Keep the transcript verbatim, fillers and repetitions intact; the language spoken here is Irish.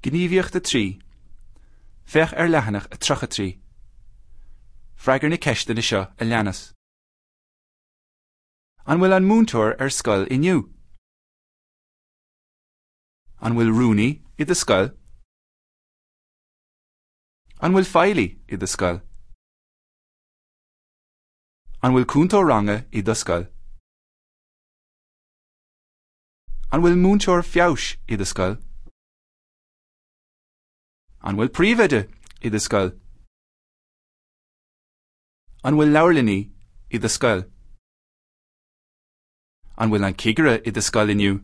Gníomhaíocht a trí. Féach ar leathanach a tríocha trí. Freagair na ceisteanna seo a leanas. An bhfuil an múinteoir ar scoil inniu? An bhfuil rúnaí i do scoil? An bhfuil feighlí i do scoil? An bhfuil cúntóir ranga i do scoil? An bhfuil múinteoir feabhais i do scoil? An bhfuil príomhoide i do scoil? An bhfuil leabharlannaí i do scoil? An bhfuil an cigire i do scoil inniu?